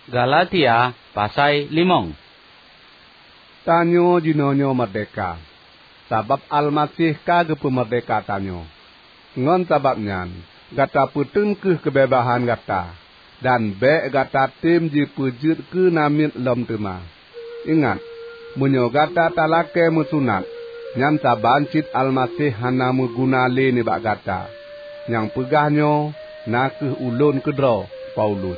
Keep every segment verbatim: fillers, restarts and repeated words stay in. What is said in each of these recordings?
Galatia pasai limong. Tanyoe jinoenyoe meurdehka, sabab Almaseh ka geupeumeurdehka tanyoe. Ngon sabab nyan, gata peuteun kheueh keubeubaihan gata, dan bék gata tem jipeujeuet keu namiet lom teuma. Ingat, meunyoe gata talakée meusunat, nyan saban cit Almaseh hana meuguna lé nibak gata. Nyang peugah nyoe na kheueh ulôn keudroe, Paulus.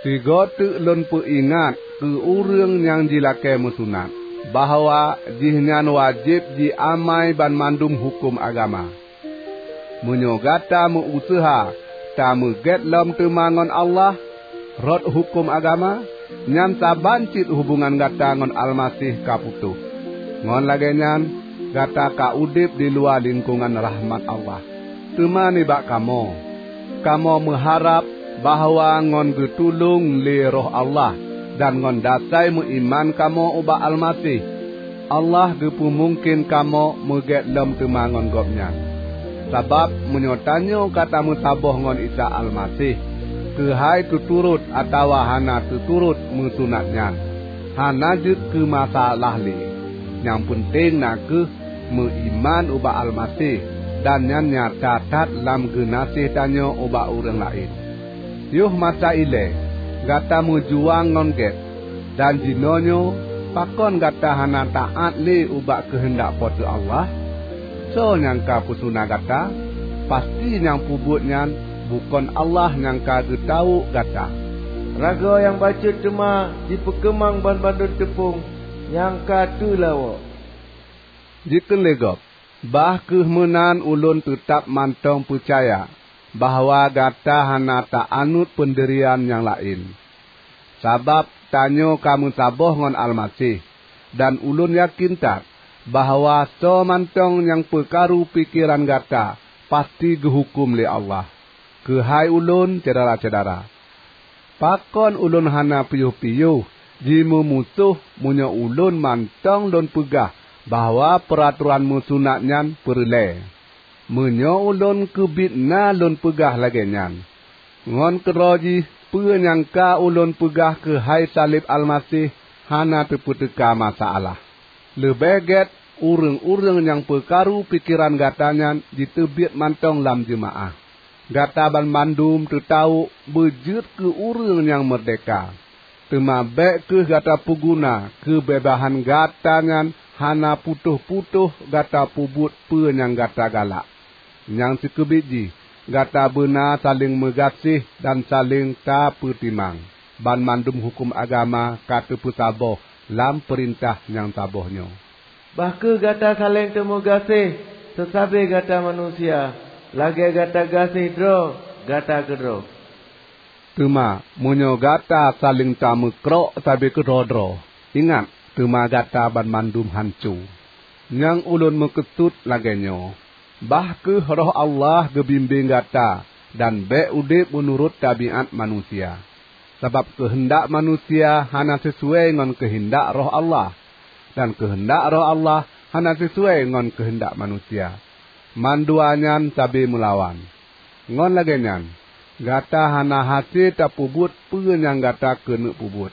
Sigoe teuk lôn peuingat keu ureuëng nyang jilakée meusunat, bahwa jihnyan wajéb jiamai banmandum huköm agama. Meunyoe gata meu-useuha tameugét lom teuma ngon Allah rot huköm agama, nyan saban cit hubongan gata ngon Almaseh ka putôh. Ngon lagée nyan, gata ka udeb di luwa lingkongan rahmat Allah. Teuma nibak kamoe, kamoe meuharab bahwa ngon geutulông lé Roh Allah dan ngon dasai meuiman kamoe ubak Almaseh, Allah geupeumungken kamoe meugét lom teuma ngon Gobnyan. Sabab meunyoe tanyoe ka tameusaboh ngon Isa Almaseh, keuhai teuturot atawa hana teuturot meusunat nyan, hana jeuet keu masalah lé. Nyang peunteng na kheueh meuiman ubak Almaseh, dan nyan nyata that lam geunaséh tanyoe ubak ureuëng laén. Yoh masa ilée gata meujuang ngon gét, dan jinoenyoe pakon gata hana taát lé ubak keuheundak Po teu Allah? Soe nyang ka peusuna gata? Pasti nyang peubuet nyan bukon Allah nyang ka geutawök gata. Ragoe nyang bacut teuma jipeukeumang banmandum teupông nyang ka teulawok. Jikheun lé gob, "Bah kheueh meunan ulôn teutab mantong peucaya bahwa gata hana ta-anut peundirian nyang laén. Sabab tanyoe ka meusaboh ngon Almaseh, dan ulôn yakén that bahwa soe mantong nyang peukaru pikeran gata pasti geuhuköm lé Allah. Keuhai ulôn, syedara-syedara, pakon ulôn hana piôh-piôh jimeumusoh meunyoe ulôn mantong lôn peugah bahwa peuratoran meusunat nyan peureulée? Meunyoe ulôn keubiet na lôn peugah lagée nyan, ngon keudroe jih peue nyang ka ulôn peugah keuhai saleb Almaseh hana teupeuteuka masalah. Leubeh gét ureuëng-ureuëng nyang peukaru pikeran gata nyan jiteubiet mantong lam jeumaáh. Gata banmandum teutawök beujeuet keu ureuëng nyang meurdehka. Teuma bék kheueh gata peuguna keubeubaihan gata nyan hana putôh-putôh gata peubuet peue nyang gata galak. Nyang sikeubiet jih, gata beuna saléng meugaséh dan saléng tapeutimang. Banmandum huköm agama ka teupeusaboh lam peurintah nyang saboh nyoe." Bah kheueh gata saléng teumeugaséh seusabe gata manusia, lagée gata gaséh droe gata keudroe. Teuma meunyoe gata saléng tameukrok sabe keudroe-droe, ingat, teuma gata banmandum hanco. Nyang ulôn meukeusut lagée nyoe, bah kheueh Roh Allah geubimbéng gata dan bék udeb meunurot tabiát manusia. Sabab keuheundak manusia hana sisuai ngon keuheundak Roh Allah, dan keuheundak Roh Allah hana sisuai ngon keuheundak manusia. Mandua nyan sabe meulawan. Ngon lagée nyan, gata hana hase tapeubuet peue nyang gata keuneuk peubuet.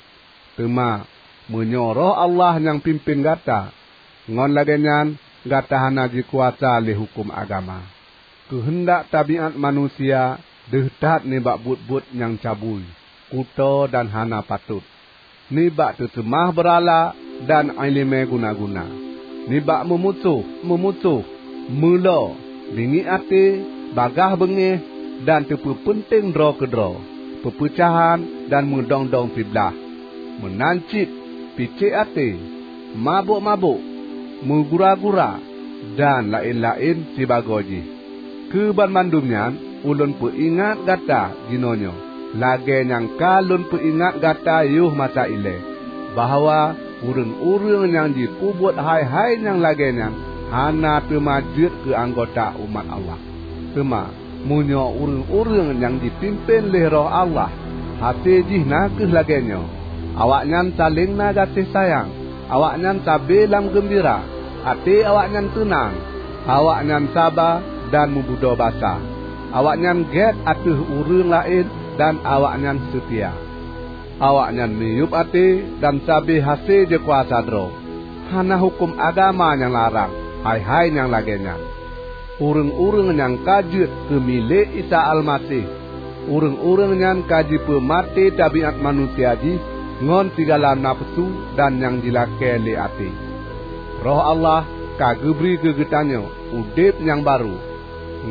Teuma, meunyoe Roh Allah nyang pimpén gata, ngon lagée nyan gata hana jikuasa lé huköm agama. Keuheundak tabiát manusia deuh that nibak buet-buet nyang cabui, kutoe dan hana patot, nibak teuseumah beurala dan iéleumé guna-guna, nibak meumusoh-meumusoh, meulo, bingiek até, bagaih beungéh dan teupeupeunteng droe keudroe, peupeucahan dan meudong-dong siblaih, meunan cit picék até, mabök-mabök, meugura-gura, dan laén-laén sibagoe jih. Keu banmandum nyan ulôn peuingat gata jinoenyoe, lagée nyang ka lôn peuingat gata yoh masa ilée, bahwa ureuëng-ureuëng nyang jipeubuet hai-hai nyang lagée nyan hana teuma jeuet keu anggota umat Allah. Teuma, meunyoe ureuëng-ureuëng nyang jipimpén lé Roh Allah, hase jih na kheueh lagée nyoe, awaknyan saléng na gaséh sayang, awaknyan sabe lam geumbira, até awaknyan teunang, awaknyan saba dan meubudoe basa, awaknyan gét ateueh ureuëng laén dan awaknyan seutia. Awaknyan miyueb até dan sabe hase jikuasa droe. Hana huköm agama nyang larang hai-hai nyang lagée nyan. Ureuëng-ureuëng nyang ka jeuet keu milék Isa Almaseh, ureuëng-ureuëng nyan ka jipeumaté tabiát manusia jih ngon sigala nafeusu dan nyang jilakée lé até. Roh Allah ka geubri keu geutanyoe udeb nyang barô.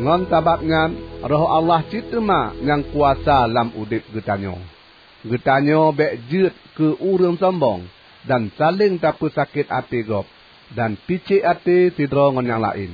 Ngon sabab nyan, Roh Allah cit teuma nyang kuasa lam udeb geutanyoe. Geutanyoe bék jeuet keu ureuëng sombong dan saléng tapeusakét até gob dan picék até sidroe ngon nyang laén.